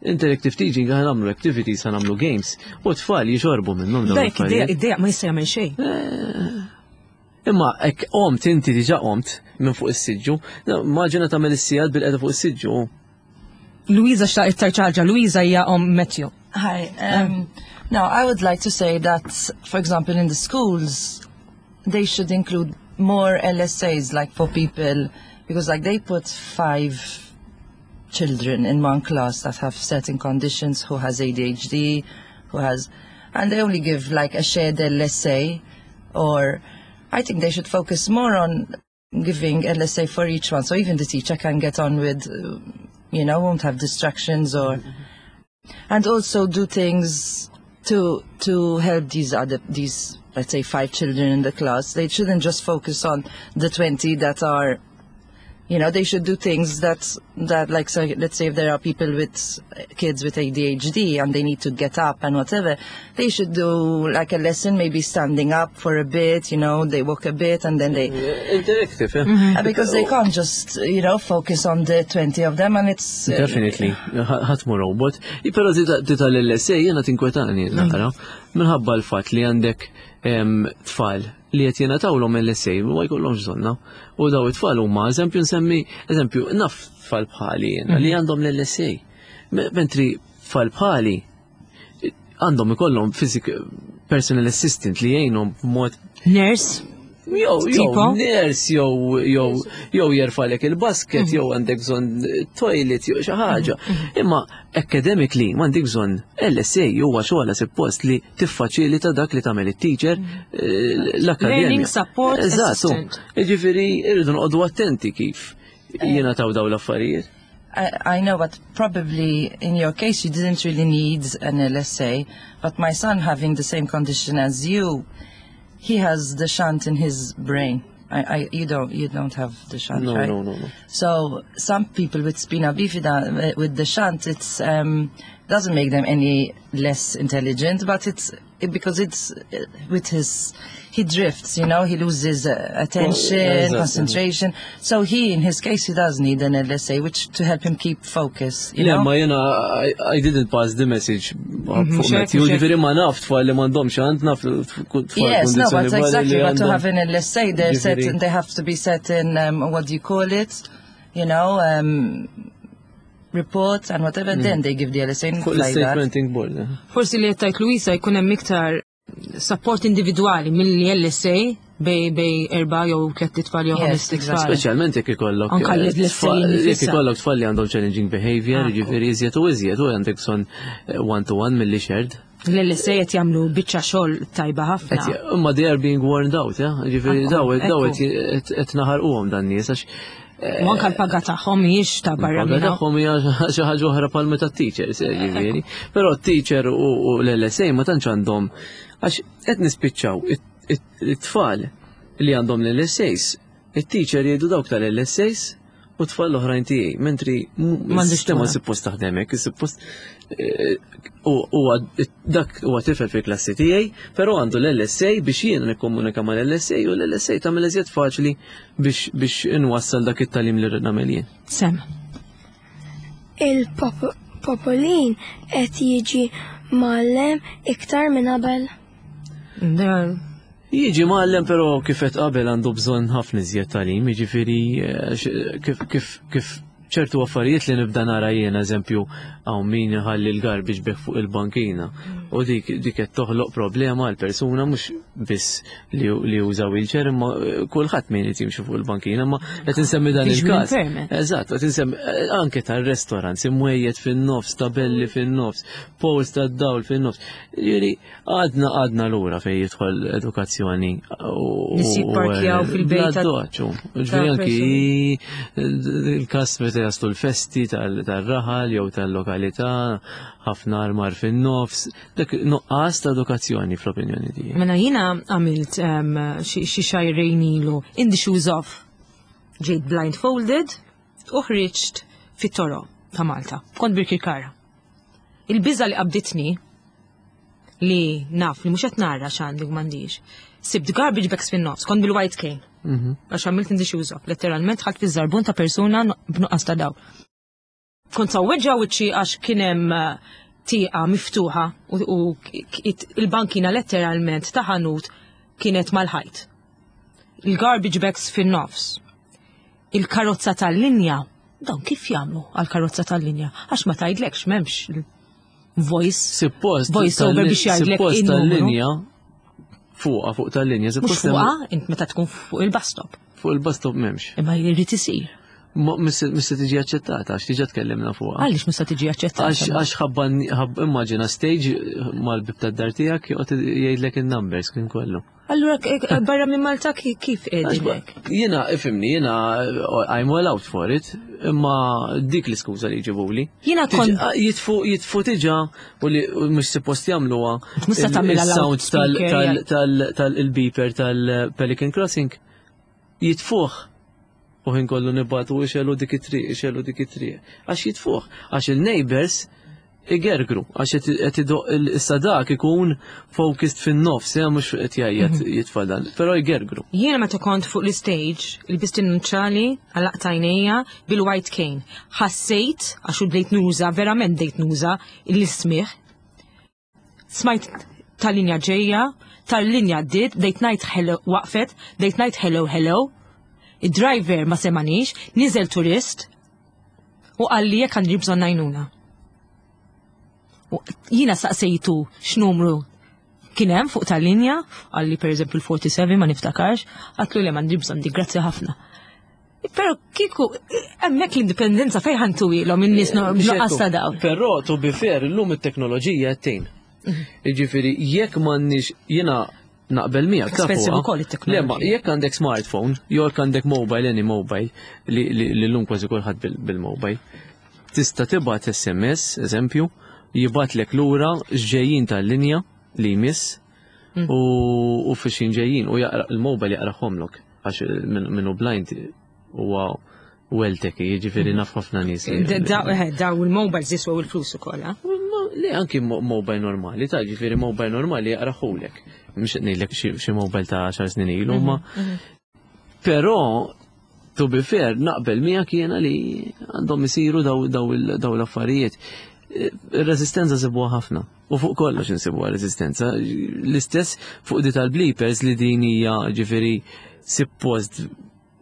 interactive teaching għan nagħmlu activities, għan nagħmlu games, u tfal jixorbu minnhom dawn l-affarijiet. Id-dejja ma jista' jagħmel xejn. Eh, imma hekk qomt inti diġà qomt minn fuq is-siġġu, maġina tagħmel is-sigħat bil-qeda fuq is-siġġu. Luisa xtaqt tgħid ħaġa, Luisa hija om Matthew. Hi. Um, now, I would like to say that, for example, in the schools, they should include more LSAs, like for people, because like they put five children in one class that have certain conditions, who has ADHD, who has, and they only give like a shared LSA, or I think they should focus more on giving LSA for each one, so even the teacher can get on with, you know, won't have distractions or, and also do things to to help these other these let's say five children in the class. They shouldn't just focus on the 20 that are you know they should do things that that like so let's say if there are people with kids with ADHD and they need to get up and whatever they should do like a lesson maybe standing up for a bit you know they walk a bit and then they interactive yeah. mm -hmm. because they can't just you know focus on the 20 of them and it's uh, definitely ħadd mu robot però tita l-LSA jiena tinkwetani naqra minħabba l-fatt li għandek tfal li qed jingħatawlhom LSA ma jkollhomx bżonna. U daw it-tfal huma eżempju nsemmi, eżempju naf tfal bħali jiena li mhm. għandhom l-LSA. Mentri tfal bħali għandhom ikollhom physic personal assistant li jgħinhom b'mod Nurse? Jew, jew, nurse, jew, jew, jew jerfalek il-basket, mhm. jew għandek bżonn toilet, jew xi ħaġa. Mhm. Imma academically m'għandek bżonn LSA huwa xogħla suppost li tiffaċilita dak li tagħmel it-teacher eh, l-akademja. Learning support Eżatt. Jiġifieri irridu noqogħdu attenti kif jingħataw dawn l-affarijiet. I, I know, but probably in your case you didn't really need an LSA. But my son having the same condition as you, he has the shunt in his brain. I, I, you don't you don't have the shunt, no, right? No, no, no. So some people with spina bifida eh, with the shunt, it's um, doesn't make them any less intelligent, but it's because it's eh, with his he drifts, you know, he loses uh, attention, well, exactly. concentration. So he, in his case, he does need an LSA, which to help him keep focus. You Le, know? ma jena, I, I didn't pass the message mhm, fuq Matthew, ġifiri ma naf tfal li m'għandhomx għand naf tfal Yes, no, but exactly, but to have an LSA, they're set, they have to be set in, um, what do you call it, you know, um, report and whatever, mm. then they give the LSA. Fuq l-statementing board. Eh. Forsi li jettajt Luisa jkun hemm iktar support individwali mill-LSA bej bej erba jew tliet tfal jew ħames tfal. Speċjalment jekk ikollok Anka eh, jekk ikollok tfal li għandhom challenging behavior, ah, jiġifieri iżjed u iżjed u għandek bżonn eh, one to one milli shared. L-LSA qed jagħmlu biċċa xogħol tajba ħafna. Imma they are being warned out, eh? Jiġifieri daw daw qed naħarquhom dan nies għax U anka l-paga tagħhom mhijiex ta' barra. L-paga tagħhom hija xi ħaġa oħra bħal meta teachers, eh, ġifieri. Però t-teacher u l-LSA ma tantx għandhom għax qed nispiċċaw it-tfal li għandhom l-LSAs, it-teacher jgħidu dawk tal-LSAs u tfal l-oħrajn tiegħi, mentri m'għandix suppost taħdem hekk, suppost eh, huwa dak huwa tifel fil-klassi tiegħi, però għandu l-LSA biex jien nikkomunika mal-LSA u l-LSA tagħmel iżjed faċli biex biex inwassal dak it-tagħlim li rrid nagħmel jien. Sem. Il-popolin qed jiġi mgħallem iktar minn qabel. Jiġi mgħallem però kif qed qabel għandu bżonn ħafna iżjed tagħlim, jiġifieri eh, kif kif kif Ċertu affarijiet li nibda nara jien, eżempju, hawn min iħalli l-garbage bag fuq il-bankina. U dik dik qed toħloq problema għal persuna mhux biss li li juża wheelchair imma eh, kulħadd min qed jimxi fuq il-bankina, imma qed insemmi dan Visual il-każ. impairment. Eżatt, qed insemmi eh, anke tar-restaurants imwejjed fin-nofs, tabelli fin-nofs, poles tad-dawl fin-nofs. Jiġifieri għadna għadna lura fejn jidħol edukazzjoni u Nies jipparkjaw fil-bejt ta' Bla Ġifieri anki il-każ meta jaslu l-festi tal-raħal jew tal-lokalità, ħafna armar fin-nofs, dak nuqqas ta' edukazzjoni fl-opinjoni tiegħi. Mela jiena għamilt xi xahrejn ilu in the shoes of ġejt blindfolded u ħriġt fit-toroq ta' Malta. Kont Birkirkara. Il-biża li qabditni li naf li mhux qed nara x'għandi u m'għandix. Sibt garbage bags fin-nofs, kont bil-white cane. Għax għamilt in the shoes of, letteralment ħadt fiż-żarbun ta' persuna b'nuqqas ta' dawl. Kont sawweġġa wiċċi għax kien hemm eh, tieqa miftuħa u, u il-bankina letteralment ta' ħanut kienet mal-ħajt. Il-garbage bags fin-nofs. Il-karozza tal-linja, dawn kif jagħmlu għal-karozza tal-linja? Għax ma tgħidlekx m'hemmx voice. Suppost Voice over biex jgħidlek suppost in-numru. tal-linja fuqa fuq tal-linja, Mhux suppost hemm- fuqha, int meta tkun fuq il-bus stop. fuq il-bus stop m'hemmx. Imma jrid isir. Ma mis se tiġi aċċettata għax diġà tkellimna fuqha. Għaliex mhux se tiġi aċċettata? Għax għax ħabba ħab immaġina stage mal-bib tad-dar tiegħek joqgħod jgħidlek in-numbers kien kollu. Allura barra minn Malta kif qegħdin hekk? Jiena ifhimni, jiena I'm all out for it, imma dik l-iskuża li jġibuli. Jiena Tiġi- kont ah, jitfu jitfu tiġa u li u mhux suppost jagħmluha Mhux se tagħmilha il-sound tal loudspeaker, tal ja. tal tal-beeper tal-Pelican Crossing jitfuh u ħin kollu nibatu ixelu dik it-triq, ixelu dik it-triq. Għax jitfuh, għax il-neighbors igergru, għax qed idoq issa dak ikun focused fin-nofs, ja mhux qed jgħajjat jitfa' dan, però jgergru. Jiena meta kont fuq l-stage, ilbist in-nuċċali, għalaqt għajnejja bil-white cane. Ħassejt, għax u bdejt nuża, verament bdejt nuża l-ismigħ. Smajt tal-linja ġejja, tal-linja għaddiet, bdejt ngħid hello, waqfet, bdejt ngħid hello hello. Id-driver ma semanix, niżel turist u qalli jekk għandi bżonn għajnuna. U jiena saqsejtu x'numru kien hemm fuq tal-linja, qalli pereżempju l-47 ma niftakarx, għedtlu le m'għandi bżonn di, grazzi ħafna. Però kieku hemmhekk l-indipendenza fejn ħa ntuhielhom in-nies nuqqas ta' dawl. Però to be fair, illum it-teknoloġija qed tgħin. Jiġifieri jekk m'għandniex jiena naqbel miegħek ta' Expensive fuqha. ukoll it-teknoloġija. Le, ma jekk għandek smartphone, jew jekk għandek mobile, any mobile, li li li llum kważi kulħadd bil-mobile, tista' tibgħat SMS, eżempju, jibgħatlek lura x'ġejjin tal-linja li jmiss u u fiex ġejjin u jaqra il-mobile jaqrahomlok għax min hu blind huwa well tech, jiġifieri naf ħafna nies. Daw il-mobiles jiswew il-flus ukoll, eh? Le, anki mobile normali, ta' ġifieri mobile normali jaqrahulek. Mhux qed ngħidlek xi mobile ta' 10 snin ilu, ma. Però, to be fair, naqbel miegħek jiena li għandhom isiru daw l-affarijiet. Ir-resistenza sibuha ħafna. U fuq kollox insibuha resistenza. L-istess fuq di tal-bleepers li din hija ġifieri suppost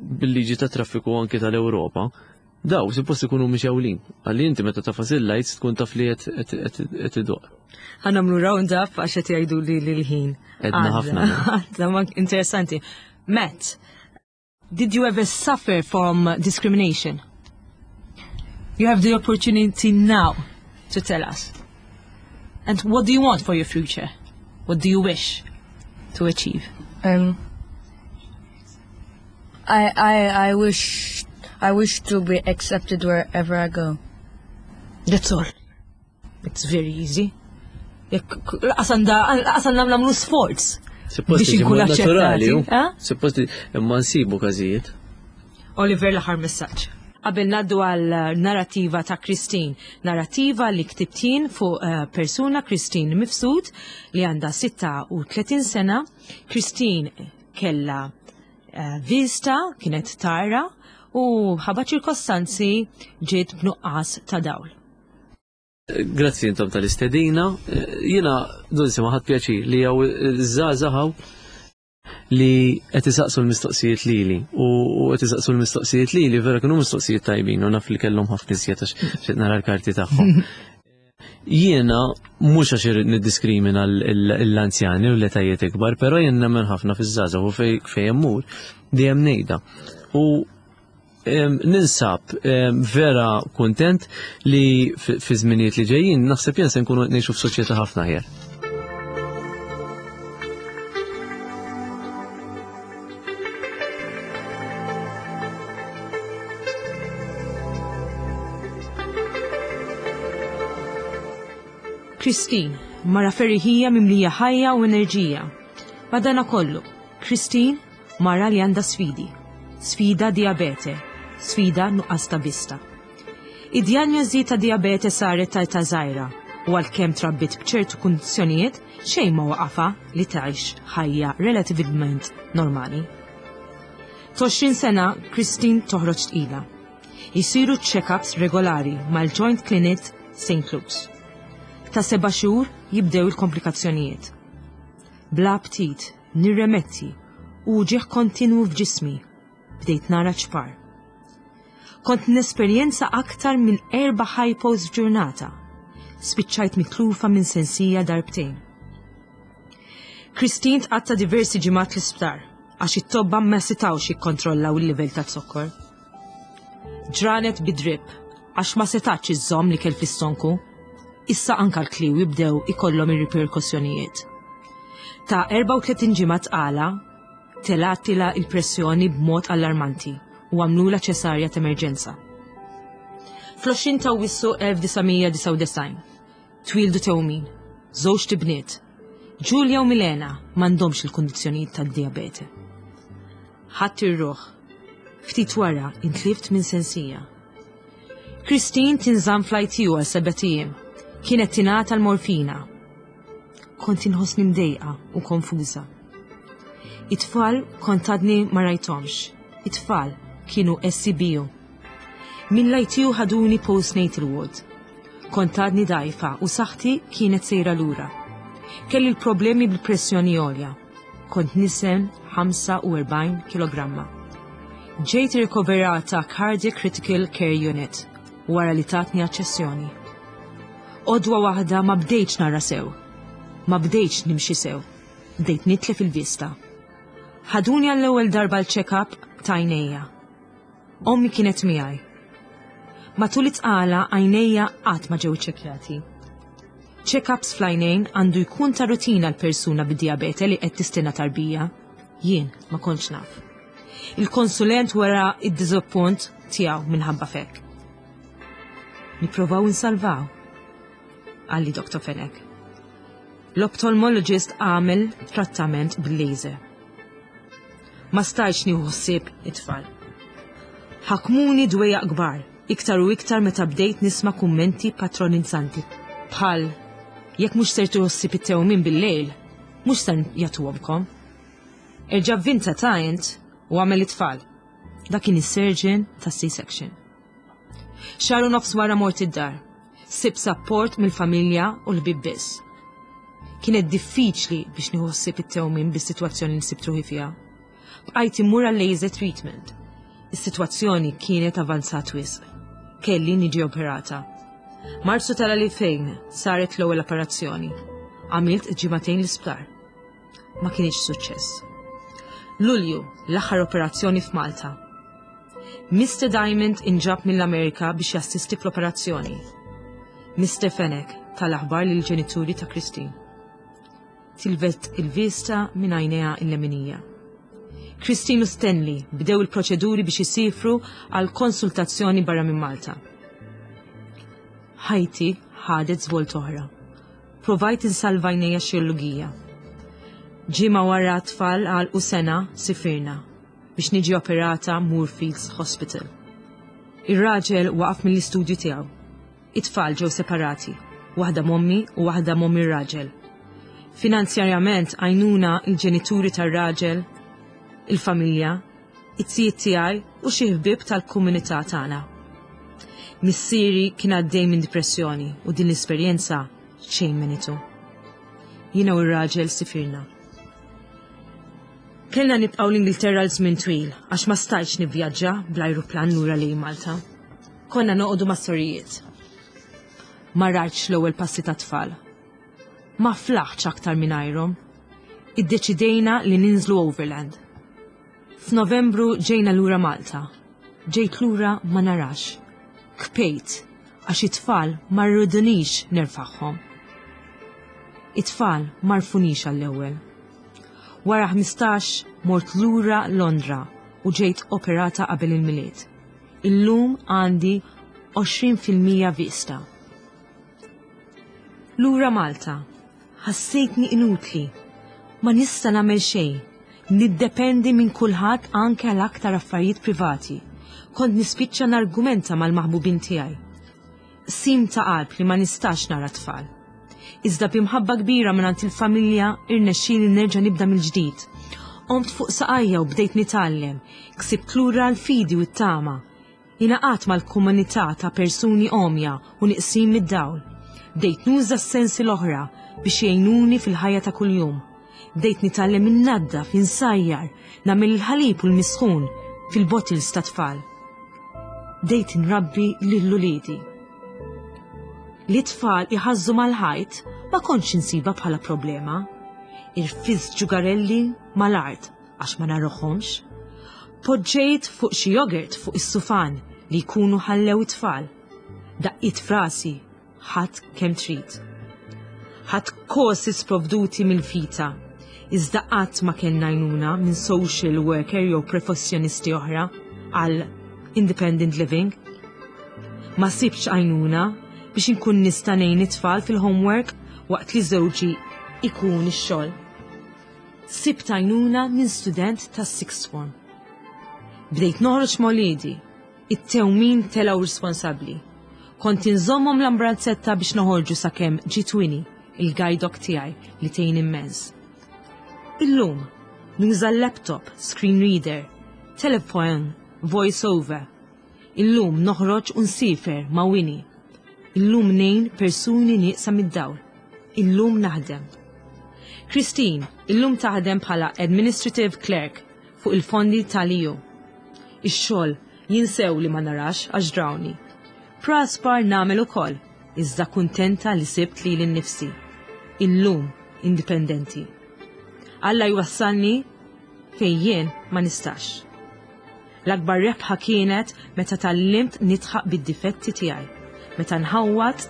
bil-liġi ta' traffiku anki tal-Ewropa. Daw suppost ikunu mixgħulin. Għalli inti meta tagħfas il-lights tkun taf li qed idoq. Ħa nagħmlu round up għax qed jgħidu li l-ħin. Edna Għadda. ħafna, no? Għadda, ma interessanti. Matt, did you ever suffer from discrimination? You have the opportunity now to tell us. And what do you want for your future? What do you wish to achieve? I wish to be accepted wherever I go. That's all. It's very easy. Jekk lanqas għandna nagħmlu sforz. Suppost Biex tiġi inkunu mod naturali, aċċettati, hu. eh? Suppost imma nsibu każijiet. Oliver, l-aħħar messaġġ. Qabel ngħaddu għal narrativa ta' Christine, narrativa li ktibt jien fuq persuna Christine Mifsud li għandha 36 sena. Christine kella vista, kienet tara u ħabba ċirkostanzi ġiet b'nuqqas ta' dawl. Grazzi intom tal-istedina. Jiena, Dulce, ma ħadt pjaċir li hawn żgħażagħ. Li qed isaqsu l-mistoqsijiet lili u qed isaqsu l-mistoqsijiet lili vera kienu mistoqsijiet tajbin u naf li kellhom ħafna iżjed għax xejn nara l-karti tagħhom. Jiena mhux għax irrid niddiskrimina l-anzjani u l-etajiet ikbar, però jien nemmen ħafna fiż-żgħażagħ u fejn immur dejjem ngħidha. U ninsab vera kuntent li fi żminijiet li ġejjin naħseb jien se nkunu qed ngħixu f'soċjetà ħafna aħjar. Christine, mara ferriħija mimlija ħajja u enerġija. Madana kollu, Christine Mara li għandha sfidi. Sfida dijabete. Sfida nuqqas ta' vista. Id-djanjosi ta' dijabete saret ta' età żgħira u għalkemm trabbiet b'ċertu kundizzjonijiet xejn ma waqafha li tgħix ħajja relativament normali. T'20 sena Christine toħroġ tqila. Isiru check-ups regolari mal-Joint Clinic St. Luke's. Ta' seba' xhur jibdew il-komplikazzjonijiet. Bla aptit, Nirremetti, u uġigħ kontinwu f'ġismi. Bdejt nara ċpar. Kont nesperjenza aktar minn erba' hypos f'ġurnata. Spiċċajt mitlufa minn sensija darbtejn. Christine tqatta' diversi ġimgħat l-isptar għax it-tobba ma setgħux jikkontrollaw il-livell ta' zokkor. Ġranet bi drip għax ma setax iżżomm l-ikel fl-istonku. Issa anka l-kliewi bdew ikollhom ir-riperkussjonijiet. Ta' 34 ġimgħa tqala, telgħatilha il-pressjoni b'mod allarmanti u għamlulha ċesarja t'emerġenza. Fl-20 ta' Awwissu 1999, twieldu tewmin, żewġt ibniet. Julia u Milena m'għandhomx il-kundizzjonijiet tad-dijabete. Ħadt ir-ruħ. Ftit wara intlift minn sensija. Christine tinżamm fl-ITU għal sebat ijiem. Kienet tingħata l-morfina. Kont inħossni mdejqa u konfuża. It-tfal kont għadni ma rajthomx. It-tfal kienu SCBU. Minn l-ITU ħaduni postnatal ward. Kont għadni dgħajfa u saħħti kienet sejra lura. Kelli l-problemi bil-pressjoni għolja. Kont niżen 45 kilogramma. Ġejt irrikoverata Cardiac Critical Care Unit wara li tatni aċċessjoni. Għodwa waħda ma bdejtx nara sew. Ma bdejtx nimxi sew. Bdejt nitlef il-vista. Ħaduni għall-ewwel darba l-check-up ta' għajnejja. Ommi kienet miegħi. Matul it-tqala għajnejja qatt ma ġew iċċekkjati. Check-ups fl-għajnejn għandu jkun ta' rutina l-persuna bid-dijabete li qed tistenna tarbija. Jien ma kontx naf. Il-konsulent wera id-diżappunt tiegħu minħabba fek. Nipprovaw insalvaw, qalli Dr. Fenech. L-ophthalmologist għamel trattament bil-laser. Ma stajtx nieħu ħsieb it-tfal. Ħakmuni dwejjaq kbar, iktar u iktar meta bdejt nisma' kummenti patronizzanti bħal jekk mhux ser tieħu ħsieb it-tewmin bil-lejl, mhux ser jagħtuhomkom. Erġa' vvinta ta' int u agħmel it-tfal. Dak kien is-surgeon tas-C-section. Xahar u nofs wara mort id-dar. Sibt sapport mill-familja u l-ħbieb biss. Kienet diffiċli biex nieħu ħsieb it-tewmin bis-sitwazzjoni li sibt ruħi fiha. Bqajt immur għal laser treatment. Is-sitwazzjoni kienet avanzat wisq. Kelli niġi operata. Marzu tal-2000 saret l-ewwel operazzjoni. Għamilt ġimagħtejn l-isptar. Ma kienx suċċess. Lulju, l-aħħar operazzjoni f'Malta. Mister Diamond inġab mill-Amerika biex jassisti fl-operazzjoni. Mister Fenech ta l-aħbar lill-ġenituri ta' Christine. Tilvet il-vista minn għajnejha il-leminija. Christine u Stanley bdew il-proċeduri biex isifru għal konsultazzjoni barra minn Malta. Ħajti ħadet żvolt oħra. Provajt insalva għajnejja xirlugija. Ġimgħa wara t-tfal għalqu sena sifirna. biex niġi operata Moorfields Hospital. Ir-raġel waqaf mill-istudju tiegħu. It-tfal ġew separati, waħda m'ommi u waħda m'omm ir-raġel. Finanzjarjament għajnuna il-ġenituri tar-raġel, il-familja, it-tijiet tiegħi u xi ħbieb tal-komunità tagħna. Missieri kien għaddej minn depressjoni u din l-esperjenza xejn menitu. Jiena u r-raġel sifirna. Kellna nibqgħu l-Ingilterra għal żmien twil għax ma stajtx nivvjaġġa bl-ajruplan lura lejn Malta. Konna noqogħdu mas-sorijiet. Ma rajtx l-ewwel passi tat-tfal. Ma flaħtx aktar mingħajrhom. Iddeċidejna li ninżlu overland. F'Novembru ġejna lura Malta. Ġejt lura ma narax. Kpejt għax it-tfal ma rridunix nerfagħhom. It-tfal ma rfunix għall-ewwel. Wara 15 mort lura Londra u ġejt operata qabel il-Milied. Illum għandi 20% vista. Lura Malta, ħassejtni inutli. Ma nista' nagħmel xejn. Niddependi minn kulħadd anke għal aktar affarijiet privati. Kont nispiċċa nargumenta mal-maħbubin tiegħi. Qsim ta' qalb li ma nistax nara tfal. Iżda b'imħabba kbira mingħand il-familja irnexxieli nerġa' nibda mill-ġdid. Qomt fuq saqajja u bdejt nitgħallem, ksibt lura l-fidi u t-tama. Ingħaqadt mal-komunità ta' persuni għomja u niqsin mid-dawl. Bdejt nuża s-sensi l-oħra biex jgħinuni fil-ħajja ta' kuljum. Bdejt nitgħallem innaddaf, insajjar, nagħmel il-ħalib u l-misħun fil-bottles tat-tfal. Bdejt inrabbi lil uliedi. Li t-tfal iħażżu mal-ħajt ma kontx insibha bħala problema. Irfist ġugarelli mal-art għax ma narahomx. Poġġejt fuq xi jogurt fuq is-sufan li jkunu ħallew it-tfal. Daqqiet frasi ħadd kemm trid. Ħadd courses provduti mill-FITA, iżda qatt ma kellna għajnuna minn social worker jew professjonisti oħra għal independent living. Ma sibx għajnuna biex inkun nista' ngħin it-tfal fil-homework waqt li żewġi ikun ix-xogħol. Sibt għajnuna minn student tas-sixth form. Bdejt noħroġ ma' uliedi, it-tewmin telgħu responsabbli. Kont inżommhom l-ambrazzetta biex noħorġu sakemm ġiet Winnie, il-guide dog tiegħi li tgħin immens. Illum, nuża l-laptop, screen reader, telephone, voice over. Illum noħroġ u nsiefer ma' Winnie. Illum ngħin persuni nieqsa mid-dawl. Illum naħdem. Christine, illum taħdem bħala Administrative Clerk fuq il-fondi tal-EU. Ix-xogħol jinsew li ma narax għax drawni. Praspar nagħmel ukoll, iżda kuntenta li sibt lili nnifsi. Illum indipendenti. Alla jwassalni fejn jien ma nistax. L-akbar rebħa kienet meta tgħallimt nidħaq bid-difetti tiegħi. Meta nħawwad,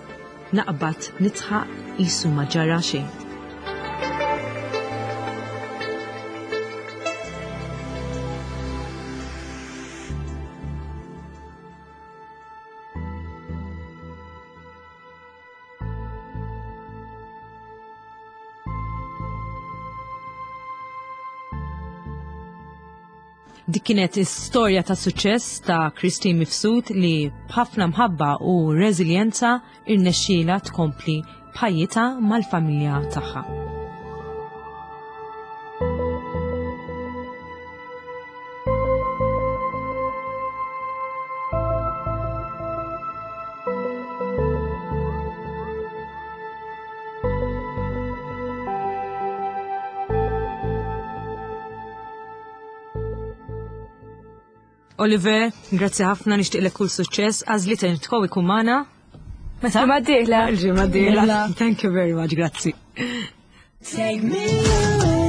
naqbad nidħaq qisu ma ġara xejn. Dik kienet istorja ta' suċċess ta' Christine Mifsud li b'ħafna mħabba u reżiljenza irnexxielha tkompli b'ħajjitha mal-familja tagħha. Oliver, grazzi ħafna nixtieqlek kull suċċess, għażli tkow ikun magħna. Meta? Ġimgħa d-dieħla. Ġimgħa d-dieħla. Thank you very much, grazzi. Take me away.